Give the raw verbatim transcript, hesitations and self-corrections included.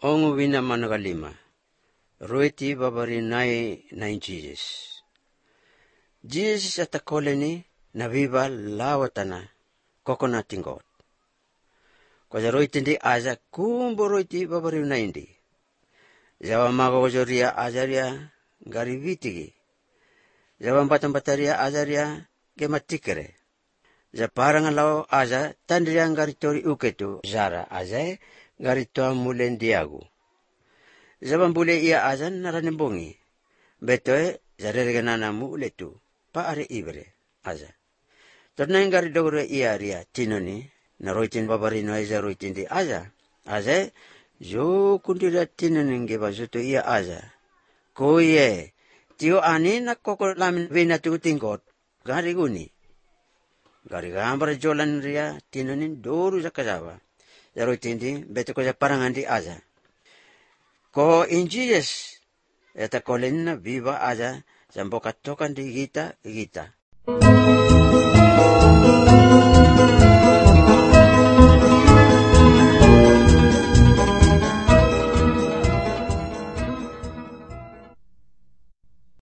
ongu wina managalima. Roiti babarinai na Jesus. Jesus at koleni na viva lawatana coconut tingot. Kwa roiti ndi aza kumbo roiti babarinai ndi. Jawa magojoria azaria garivitigi. Jawa batambataria azaria gematikere. Ja parang lao aza tandriang garitori uketu zara azae garitoa mulendiagu. Zabambule ia azan naranembongi. Betoe zarereganana mu uletu pa are ibre aza. Tornaing garidogre ia ria tinoni na roitin babarino eza roitin di aza. Azae jo kundira tinoni ngeba zuto ia aza. Koye tio ani na koko lamin vina tu tingkot gariguni. Gari gambar jolan ria tinonin doru sa kasawa. Jaro tindi beto ko sa parangan di aza. Ko in Jesus eta kolen na viva aza sambo katokan di gita gita.